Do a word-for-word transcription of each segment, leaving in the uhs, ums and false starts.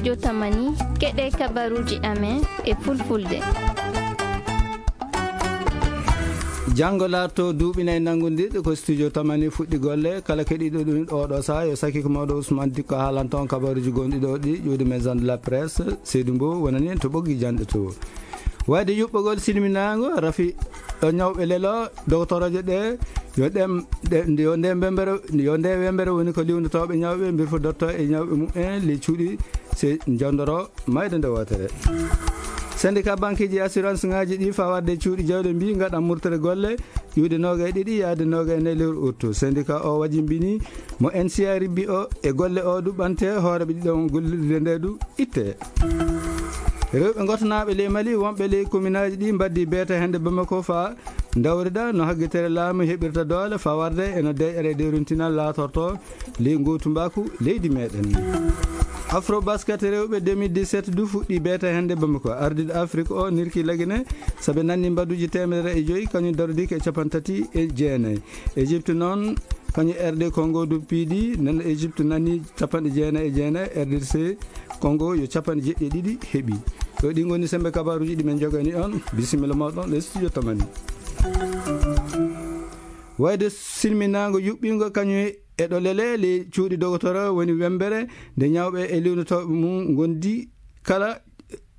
Yo Tamani, keɗe kabaruuji amen e Fulfulde. Janngo laatto duuɓi nayi nanngundiiɗo ko studio Tamani fuɗɗi golle. Kala keɗiiɗo ɗum oɗo saha, yo sakiko mawɗo Ousmane Dikko haalanta on kabaruuji gonɗi ɗo ɗi ƴuwdi Maison de la Presse. Seydou Mbow wonani en to ɓoggi janɗe to. Wayde yuɓɓogol silminaango rafi ɗo ñawɓe lelo, doktorooje ɗe, yo ɗem, ɗe, yo nde mbembere, yo nde wembere woni ko liwndotooɓe ñawɓe, mbirfodotto e ñawɓe mumen, ley cuuɗi se jondoro mayde nde wootere. Syndicat banqueeji e assurance ŋaaji ɗi fawarde cuuɗi jawɗe mbi ngaɗan murtere golle, ƴuwde noogay ɗiɗi yaade noogay nayi lewru août. Syndicat o wajimbini mo N C A ribbi o e golle o du ɓante hooreɓe ɗiɗon gollirde nde du itte. Rewɓe gotanaaɓe ley Mali wonɓe ley kominaaji ɗi mbaddi beeta hannde Bamako fa dawrida no haggitere laamu heɓirta doole fawarde e no deƴƴere dewrintinal laatorto ley ngootumbaaku leydi meɗen. Afro basket rewɓe deux mille dix-sept du fuɗɗi beeta hannde Bamako. Ardiiɗo Afrik o nirki Lagine sabe nanni mbaduuji teemedere e joyi kañum darodiike e capanɗe tati e jeenayi. Égypte noon kañum R D Congo du piidi, nden Égypte nani capanɗe jeenayi e jeenayi, R D C Congo yo capanɗe jeɗɗi e ɗiɗi heɓi. Ɗo ɗi ngoni sembe kabaruuji ɗi men jogani on. Bisimilla mawɗon le studio Tamani. Wayde silminaango yuɓɓingo kañum e ɗo lele ley cuuɗi dogotoro woni wembere nde ñawɓe e liwnotooɓe mum ngondi kala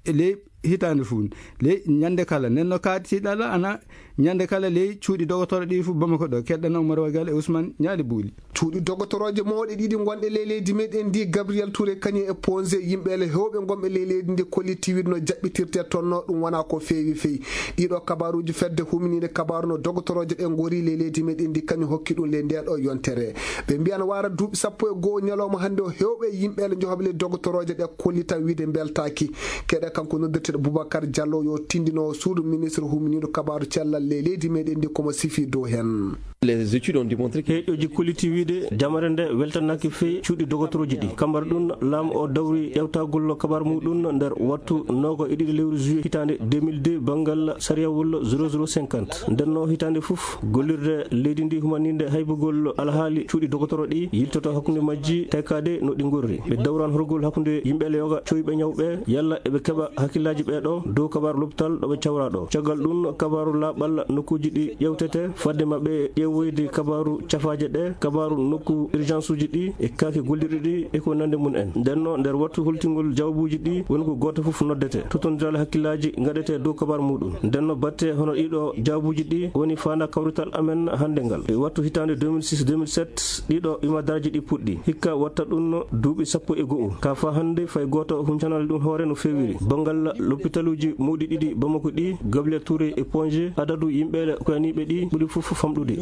ley hitaande fuu, ley ñande kala. Nden no kaati tiiɗalla ana ñande kala ley cuuɗi dogotoro ɗi fuu Bamako ɗo. Keɗɗen Oumar Wagal e Ousmane Ñaali Buuli. Cuuɗi dogotorooje mawɗe ɗiɗi gonɗe ley leydi meɗen ndi, Gabriel Touré kañum e Ponge, yimɓe le hewɓe gonɓe ley leydi ndi kolliti wiide no jaɓɓitirte toon no ɗum wona ko feewi feewi. Ɗiɗo kabaruuji fedde huminiinde kabaru no dogotorooje ɗe ngori ley leydi meɗen ndi kañum hokki ɗum ley nde ɗo yontere. Ɓe mbiyan wara duuɓi sappo e go'o ñalawma hannde o hewɓe yimɓe le njohoɓe ley dogotorooje ɗe kollita wiide mbeltaaki. Keɗe kanko noddirteɗo Boubacar Diallo yo tindinowo suudu ministre huminiiɗo kabaru cellal ley leydi meɗen ndi komo sifi dow hen. Les études ont démontré que heeƴoji kolliti wiide jamare nde weltanaaki feewi cuuɗi dogotorooji ɗi. Kambar ɗum laamu o dawri ƴewtagol kabar muɗum nder wattu noogo e ɗiɗi lewru juillet hitaande deux mille deux banngal sariyawol zéro zéro cinquante. Nden no hitaande fof gollirde leydi ndi humaninde haybugol alhaali cuuɗi dogotoro ɗi yiltoto hakkunde majji taykaade no ɗi ngorri. Ɓe dawran horgol hakkunde yimɓe le yoga coyɓe ñawɓe yalla eɓe keɓa hakkillaaji ɓe ɗo dow kabaru lopital ɗo ɓe cawra ɗo. Caggal ɗum kabaru laaɓal nokkuuji ɗi ƴewtete fadde maɓɓe ƴeewoyde kabaru cafaaje ɗe, kabaru nokku urgence uji ɗi e kaake gollirɗi ɗi e ko nande mum en. Nden no nder wattu holtingol jawabuuji ɗi woni ko gooto fof noddete. Totondiral hakkillaaji ngaɗete dow kabaru muɗum. Nden no batte hono ɗiɗo jawabuuji ɗi woni faanda kawrital amen hannde ngal. E wattu hitaande deux mille six deux mille sept ɗiɗo imadaraaji ɗi puɗɗi. Hikka watta ɗum no duuɓi sappo e go'o. Ka fa hannde fay gooto huncanali ɗum hoore no feewiri. Banngal lopitaluuji mawɗi ɗiɗi Bamako ɗi, Gabriel Touré e Ponge, adadu yimɓe le koyaniiɓe ɗi ɓuri fof famɗude.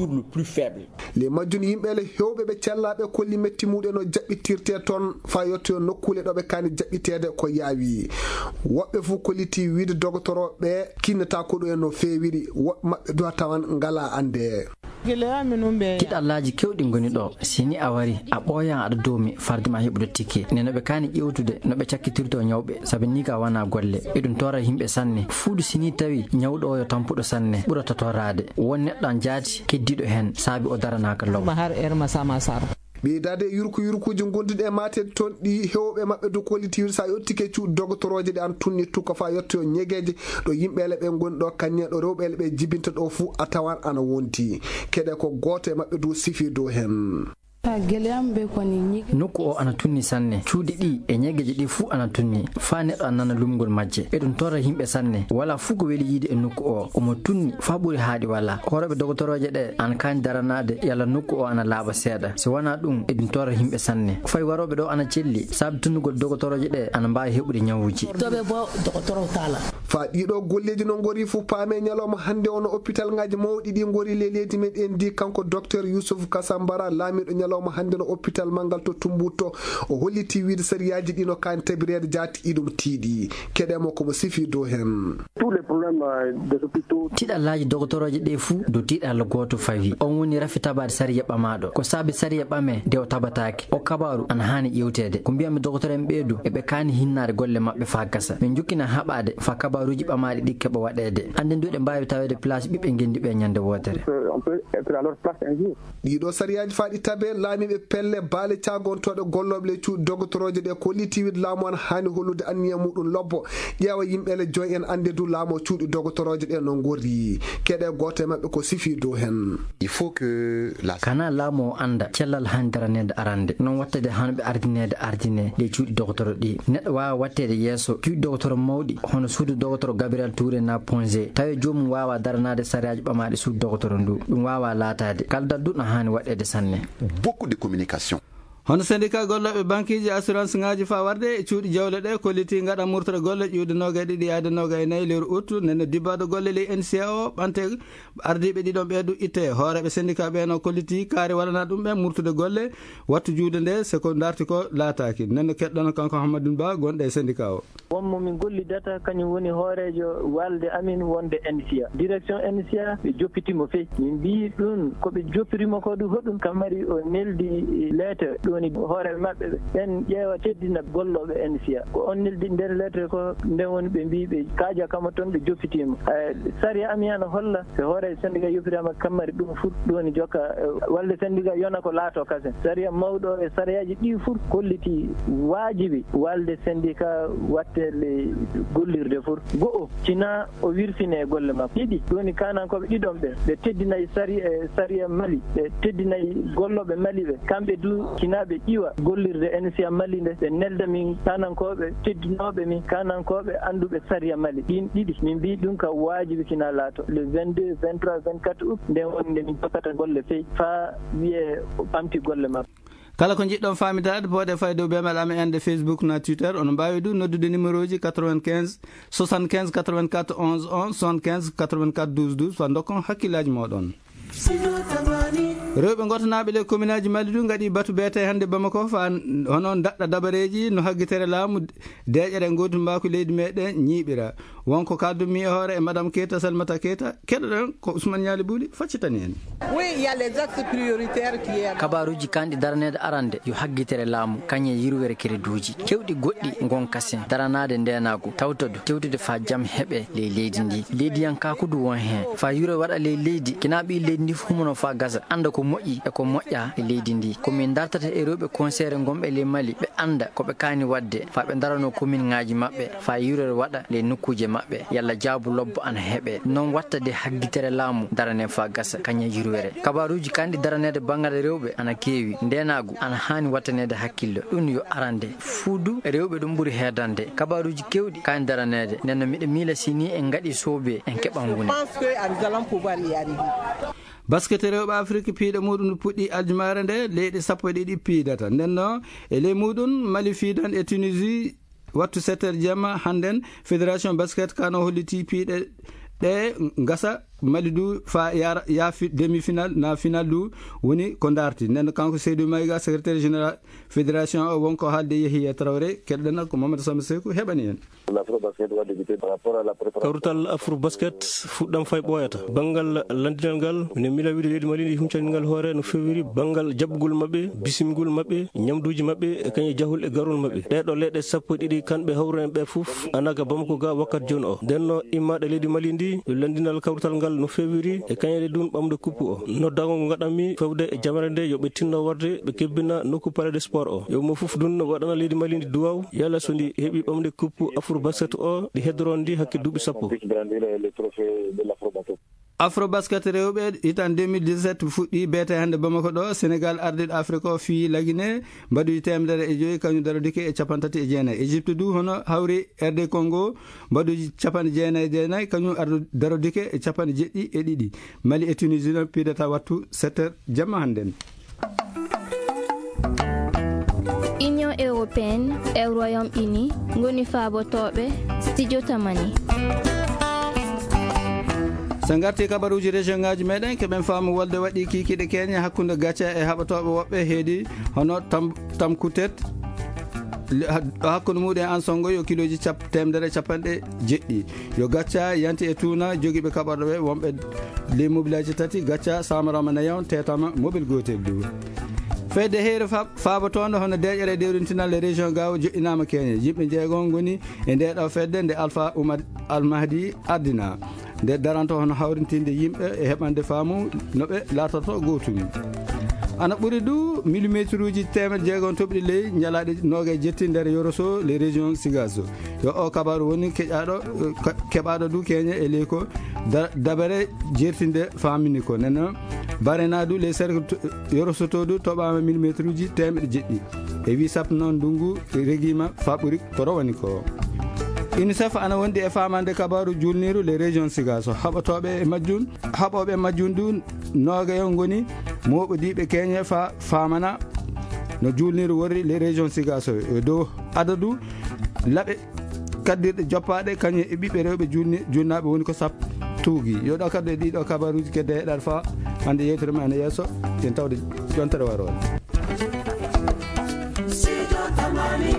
Le majjum yimɓe le hewɓe ɓe cellaaɓe kolli metti muɗen no jaɓɓitirte toon fa yottoyo nokkuule ɗo ɓe kaani jaɓɓiteede ko yaawi. Woɓɓe fof kolliti wiide dogotoro ɓe kinnata ko ɗo en no feewiri. Woɓɓe maɓɓe duwa tawan ngala annde. Tiɗallaaji kewɗi ngoni ɗo. Si ni a wari, a ɓooyan aɗa doomi farde ma heɓude tikke. Nde no ɓe kaani ƴewtude, no ɓe cakkitirto ñawɓe, sabi ni ka wona golle. Eɗum tora yimɓe sanne. Fuudu si ni tawi ñawɗo o yo tampuɗo sanne, ɓurata toraade. Won neɗɗo an jaati keddiiɗo heen, saabi o daranaaka law. Ɓeydaade e yurku yurkuuji ngonduɗi e maateede toon ɗi hewɓe maɓɓe du kollitiiɗo sa yottike cuuɗi dogotorooje ɗe an tunni tukka fa yottoyo ñegeeje ɗo yimɓe le ɓe ngoni ɗo kañum en ɗo rewɓe le ɓe jibinta ɗo fuu a tawan ana wonti. Keɗe ko gooto e maɓɓe du sifi dow heen. Nokku o ana tunni sanne. Cuuɗi ɗi e ñegeeje ɗi fuu ana tunni. Faa neɗɗo ana nana lumgol majje. Eɗum torra yimɓe sanne. Wala fuu ko weli yiide e nokku o. Omo tunni faa ɓuri haaɗi wala. Hoorooɓe dogotorooje ɗe ana kaani daranaade yalla nokku o ana laaɓa seeɗa. Si wanaa ɗum, eɗum torra yimɓe sanne. Fay warooɓe ɗo ana celli. Saabi tunnugol dogotorooje ɗe ana mbaawi heɓude ñawuuji. Faa ɗiɗo golleeji no ngori fuu paame ñalawma hannde o no hôpital ŋaaji mawɗi ɗi ngori le leydi meɗen ndi kanko docteur Youssouf Kassambara laamiiɗo ñalawma hannde no hôpital manngal to Tumbuttu. O holliti wiide sariyaaji ɗi no kaani tabireede jaati iɗum tiiɗi. Keɗe mo komo sifi dow heen. Tiɗallaaji dogotorooje ɗe fuu dow tiiɗalla gooto fawi. On woni rafi tabaade sariya ɓamaaɗo. Ko saabi sariya ɓame nde o tabataake. O kabaaru ana haani ƴeewteede. Ko mbiyanmi dogotoro en ɓee du, eɓe kaani hinnaade golle maɓɓe faa gasa. Min njukkina haɓaade faa kabaaruuji ɓamaaɗi ɗi keɓa waɗeede. Annden du eɗen mbaawi taweede place ɓiɓɓe ngenndi ɓe ñande wootere. Ɗiɗo sariyaaji faa ɗi tabee Laamiiɓe pelle, baale caagontooɗe gollooɓe ley cuuɗi dogotoroje ɗe, kolliti wiide laamu ana haani hollude anniya muɗum lobbo, ƴeewa yimɓe le joyi en, annde du laamu cuuɗi dogotoroje ɗe no ngorri. Keɗe gooto e maɓɓe ko sifi dow hen. Il faut que la Kana laamu o annda cellal haani daraneede arande, noon wattede haani ɓe ardineede ardine ɗe cuuɗi dogotoro ɗi. Neɗɗo waawa watteede yeeso cuuɗi dogotoro mawɗi, hono suudu dogotoro Gabriel Touré na Ponge, tawi joomum waawa daranaade sariyaaji ɓamaaɗi suudu dogotoro ndu. Ɗum waawa laataade. Kaldal du no haani waɗeede sanne. Beaucoup de communication. Hono syndicat gollooɓe bankiiji, assurance ŋaaji faa warde e cuuɗi jawle ɗe, kolliti ngaɗa murtore golle ƴiwde noogay ɗiɗi yaade noogay e nayi lewru ut, nden no dibbaado golle ley N C A o ɓante, ardiiɓe ɗiɗon ɓee du itte. Hooreeɓe syndicat ɓee no kolliti kaari waɗanaa ɗum ɓe murtude golle, wattu juude nde, so ko ndarti ko laataaki. Nden no keɗɗon kanko Hammadou Ba, gonɗo e syndicat o. Wonmo min gollidata, kañum woni hooreejo waalde amin wonde N C A. Direction N C A, ɓe joppiti mo fey. Min mbiyi ɗum ko ɓe joppiri mo ko ɗum hoɗum, kam mari o neldi lettre, ɗum woni hooreeɓe maɓɓe ɓe. Ɓen ƴeewa teddina gollooɓe N C A. Ko on neldi nder lettre ko, nden woni ɓe mbiyi ɓe kaaja kama toon, ɓe joppiti mo. Eh, sariya amin ana holla, so hooreejo syndicat yoppiraama kam mari ɗum fur, ɗum woni jokka, eh, waalde syndicat yona ko laato kasen. Sariya mawɗo e sariyaaji ɗi fur kolliti waajibi waalde syndicat wattele gollirde fur. Go'o, tina o wirsine e golle makko. Ɗiɗi, ɗum woni kaanankooɓe ɗiɗon ɓe, ɓe teddinay sari-, eh, sariya Mali, ɓe teddinay gollooɓe Mali ɓe. Kamɓe du, tina ɓe ƴiwa gollirde N C A Mali nde, ɓe nelda min kaanankooɓe teddinooɓe min, kaanankooɓe annduɓe sariya Mali. Ɗin ɗiɗi, min mbii ɗum ka waajibi tina laato. Le vingt-deux, vingt-trois, vingt-quatre août, nden woni nde min jokkata golle fey, faa wiyee o ɓamti golle makko. Kala ko njiɗɗon faamidaade, pooɗee fay dow beemel amen ende Facebook na Twitter. Onon mbaawi du noddude numéro ji quatre-vingt-quinze, soixante-quinze, quatre-vingt-quatre, onze, onze, soixante-quinze, quatre-vingt-quatre, douze, douze, faa ndokkon hakkillaaji mooɗon. Rewɓe ngotanaaɓe ley kominaaji Mali du ngaɗi batu beete hannde Bamako, faa hono daɗɗa dabareeji no haggitere laamu, deeƴere ngoodumbaaku leydi meɗen ñiiɓira. Wonko kaaldumi e hoore e Madame Keita, Salimata Keita. Keɗoɗen ko Ousmane Ñaali Buuli faccitani en. Oui, il y a les axes prioritaires qui est Kabaaruuji kanɗi daraneede arande yo haggitere laamu, kañe yirwere kereduuji. Kewɗi goɗɗi ngon kasen, daranaade ndeenaagu, tawtodu, tewtude faa jam heɓe ley leydi ndi. Leydiyankaaku du won heen. Faa yure waɗa ley leydi, kinaa ɓii leydi ndi fof humono faa gasa, annda ko moƴƴi e ko moƴƴa e leydi ndi. Ko min dartata e rewɓe konseere ngonɓe ley Mali, ɓe annda ko ɓe kaani waɗde, faa ɓe ndarano kominŋaaji maɓɓe, faa yurere waɗa ley nokkuuje maɓɓe, yalla jaabu lobbo ana heɓe. Noon watta de haggitere laamu darane faa gasa, kañe yurwere. Kabaaruuji kanɗi daraneede banngal rewɓe ana keewi, ndeenaagu ana haani wattaneede hakkillo. Ɗum yo arande. Fuu du, rewɓe ɗum ɓuri heedande. Kabaaruuji keewɗi kaani daraneede. Nden no miɗo miila si nii en ngaɗi soobe, en keɓan wune. Je pense que nous allons pouvoir y arriver. Basket rewɓe Afrik piiɗe muɗum no puɗɗi aljumaare nde, leyɗe sappo e ɗiɗi piidata. Nden no, e ley muɗum, Mali fiidan e Tunisie, wattu sept heures jamma hannden, Fédération Basket kano holliti piiɗe ɗe ngasa Mali du faa yaara, yaafi demi-finale, na finale du woni ko ndaarti. Nden no kanko Seydou Maïga, secrétaire général fédération o, wonko haalde Yehiya Traoré, keɗɗen ko Mamadou Samba Sekou heɓani en. Kawrital Afro Basket fuɗɗam fay ɓooyata. Banngal lanndinal ngal, minen miila wiide leydi Mali ndi huncani ngal hoore no feewiri banngal jaɓɓugol maɓɓe, bisimgol maɓɓe, ñamduuji maɓɓe, e kañum jahol e garol maɓɓe. Ɗee ɗoo leyɗe sappo e ɗiɗi kanɓe hawru en ɓe fof, ana ga Bamako ga wakkati jooni o. Nden no immaaɗe leydi Mali ndi, yo lanndinal kawrital ngal no feewiri, e kañum e ɗum ɓamde kuppu o. Noddaango ngo ngaɗanmi fewde e jamre nde yo ɓe tinno warde, ɓe kebbina nokku Palais de Sport o. Yo mo fof ɗum waɗana leydi Mali ndi duwaaw, yalla so ndi heɓi ɓamde kuppu Afro Basket o, ɗi heddoron ndi hakke duuɓi sappo. Afro Basket rewɓe, hitan deux mille dix-sept fuɗɗi beete hannde Bamako ɗo, Sénégal ardiɗo Afrique o fii Lagine, mbaɗuji teemedere e joyi, kañum darodike e capanɗe tati e jeenayi. Égypte du hono hawri R D Congo, mbaɗuji capanɗe jeenayi e jeenayi, kañum ardu darodike e capanɗe jeɗɗi e ɗiɗi. Mali e Tunisie no piidata wattu sept heures jamma hannden. Union européenne e Royaume-Uni ngoni faabotooɓe studio Tamani. So ngarti kabaruuji région ngaaji meɗen, keɓen faamu wolde waɗi kiikiiɗe keñe hakkunde Gacha e haɓatooɓe woɓɓe heedi hono Tam-, Tamkutet, le-, ha-, hakkunde muɗum e Ansongo yo kilooji cap-, teemedere e capanɗe jeɗɗi. Yo Gacha yanti e tuuna jogiiɓe kaɓorɗe ɓe wonɓe ley mobilaaji tati, Gacha, Samarama Nayon, teetama mobil gootel du. Fedde heyre fa- faabotoonde hono deeƴere dewrintinal e région Gaawo joɗɗinaama Keñe. Yimɓe jeego ngoni e nde ɗo fedde nde Alpha Oumar Al Mahdi ardina. Nde daranto hono hawrintinde yimɓe e heɓande faamu no ɓe laatorto gootum. Ana ɓuri du millimétre uji teemeɗe jeegom toɓɗi ley ñalaaɗe noogaye jetti nder Yoroso, les régions Sigaso. Yo o kabaru woni keƴaɗo, eh, ka- keɓaɗo du Keñe e ley ko da- dabere jertinde famini ko. Nena barena du les cercles to- Yoroso to du toɓama millimétre uji teemeɗe jeɗɗi. E wi sappo noon ndungu regima fa ɓuri ko rowani ko. UNICEF ana wondi e famande kabaru julniru les régions Sigaso. Haɓotoɓe e majjum, haɓoɓe e majjum du noogayo ngoni moɓodiɓe Keñe fa famana no julniru worri les régions Sigaso. E dow adadu laɓe kaddirɗe joppaɗe kañum e ɓiɓɓe rewɓe julni- julnaɓe woni ko sappo tuugi. Yo ɗo kaddu e ɗiɗo kabaruji kedde heɗar fa hande yewtere men e yeeso. Yen tawde jontere warore. Sijo Tamani.